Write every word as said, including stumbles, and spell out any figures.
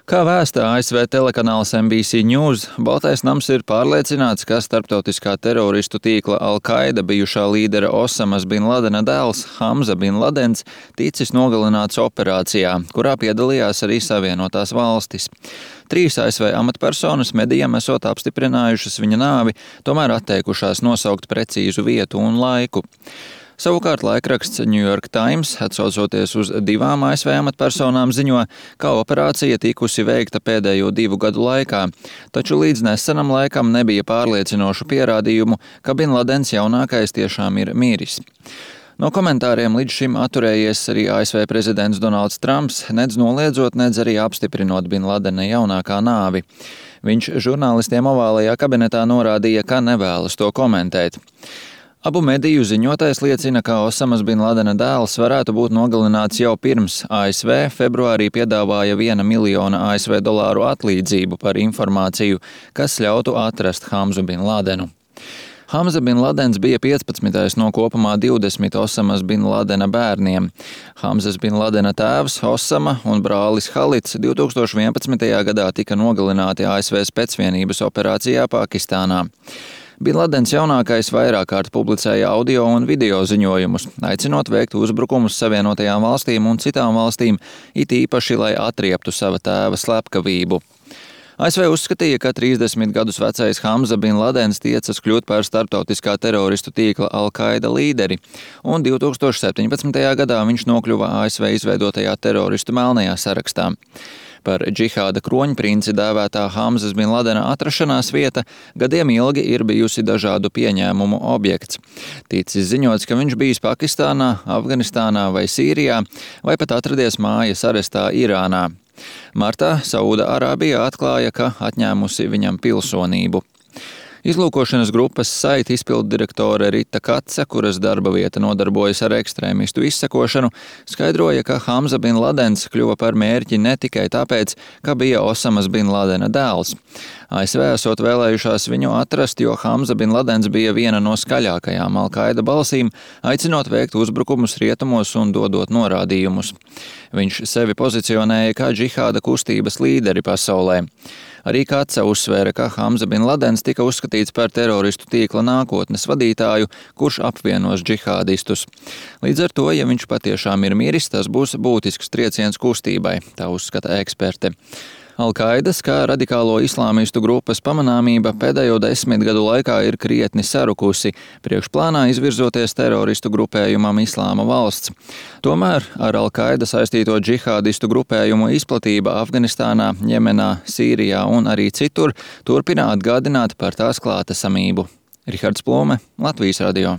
Kā vēsta A S V telekanāls N B C News, Baltais nams ir pārliecināts, ka starptautiskā teroristu tīkla Al-Qaida bijušā līdera Osamas bin Ladena dēls Hamza bin Ladens ticis nogalināts operācijā, kurā piedalījās arī Savienotās valstis. Trīs A S V amatpersonas medijam esot apstiprinājušas viņa nāvi, tomēr atteikušās nosaukt precīzu vietu un laiku. Savukārt laikraksts New York Times, atsaucoties uz divām A S V amatpersonām, ziņo, ka operācija tikusi veikta pēdējo divu gadu laikā, taču līdz nesenam laikam nebija pārliecinošu pierādījumu, ka Bin Ladens jaunākais tiešām ir miris. No komentāriem līdz šim atturējies arī A S V prezidents Donalds Trumps, nedz noliedzot, nedz arī apstiprinot Bin Ladena jaunākā nāvi. Viņš žurnālistiem ovālajā kabinetā norādīja, ka nevēlas to komentēt. Abu mediju ziņotais liecina, ka Osamas bin Ladena dēls varētu būt nogalināts jau pirms A S V februārī piedāvāja viena miljona A S V dolāru atlīdzību par informāciju, kas ļautu atrast Hamzu bin Ladenu. Hamza bin Ladens bija piecpadsmitais no kopumā divdesmit Osamas bin Ladena bērniem. Hamzas bin Ladena tēvs Osama un brālis Halits divtūkstoš vienpadsmitajā gadā tika nogalināti A S V specvienības operācijā Pakistānā. Bin Ladens jaunākais vairāk kārt publicēja audio un video ziņojumus, aicinot veikt uzbrukumus Savienotajām valstīm un citām valstīm, it īpaši, lai atrieptu sava tēva slepkavību. A S V uzskatīja, ka trīsdesmit gadus vecais Hamza bin Ladens tiecas kļūt par starptautiskā teroristu tīkla Al-Qaida līderi, un divtūkstoš septiņpadsmitajā gadā viņš nokļuva A S V izveidotajā teroristu melnajā sarakstā. Par džihāda kroņprinci dēvētā Hamzas bin Ladena atrašanās vieta gadiem ilgi ir bijusi dažādu pieņēmumu objekts. Ticis ziņots, ka viņš bijis Pakistānā, Afganistānā vai Sīrijā, vai pat atradies mājas arestā Irānā. Martā Sauda Arābija atklāja, ka atņēmusi viņam pilsonību. Izlūkošanas grupas saita izpilddirektore Rita Katse, kuras darba vieta nodarbojas ar ekstrēmistu izsekošanu, skaidroja, ka Hamza bin Ladens kļuva par mērķi ne tikai tāpēc, ka bija Osamas bin Ladena dēls. A S V esot vēlējušās viņu atrast, jo Hamza bin Ladens bija viena no skaļākajām Al-Qaida balsīm, aicinot veikt uzbrukumus rietumos un dodot norādījumus. Viņš sevi pozicionēja kā džihāda kustības līderi pasaulē. Arī Katse uzsvēra, ka Hamza bin Ladens tika uzskatīts par teroristu tīkla nākotnes vadītāju, kurš apvienos džihādistus. Līdz ar to, ja viņš patiešām ir miris, tas būs būtisks trieciens kustībai, tā uzskata eksperte. Al-Qaidas, kā radikālo islāmistu grupas pamanāmība pēdējo desmit gadu laikā ir krietni sarukusi, priekšplānā izvirzoties teroristu grupējumam Islāma valsts. Tomēr ar Al-Qaida saistīto džihādistu grupējumu izplatība Afganistānā, Jemenā, Sīrijā un arī citur turpina atgādināt par tās klātesamību. Rihards Plūme, Latvijas radio.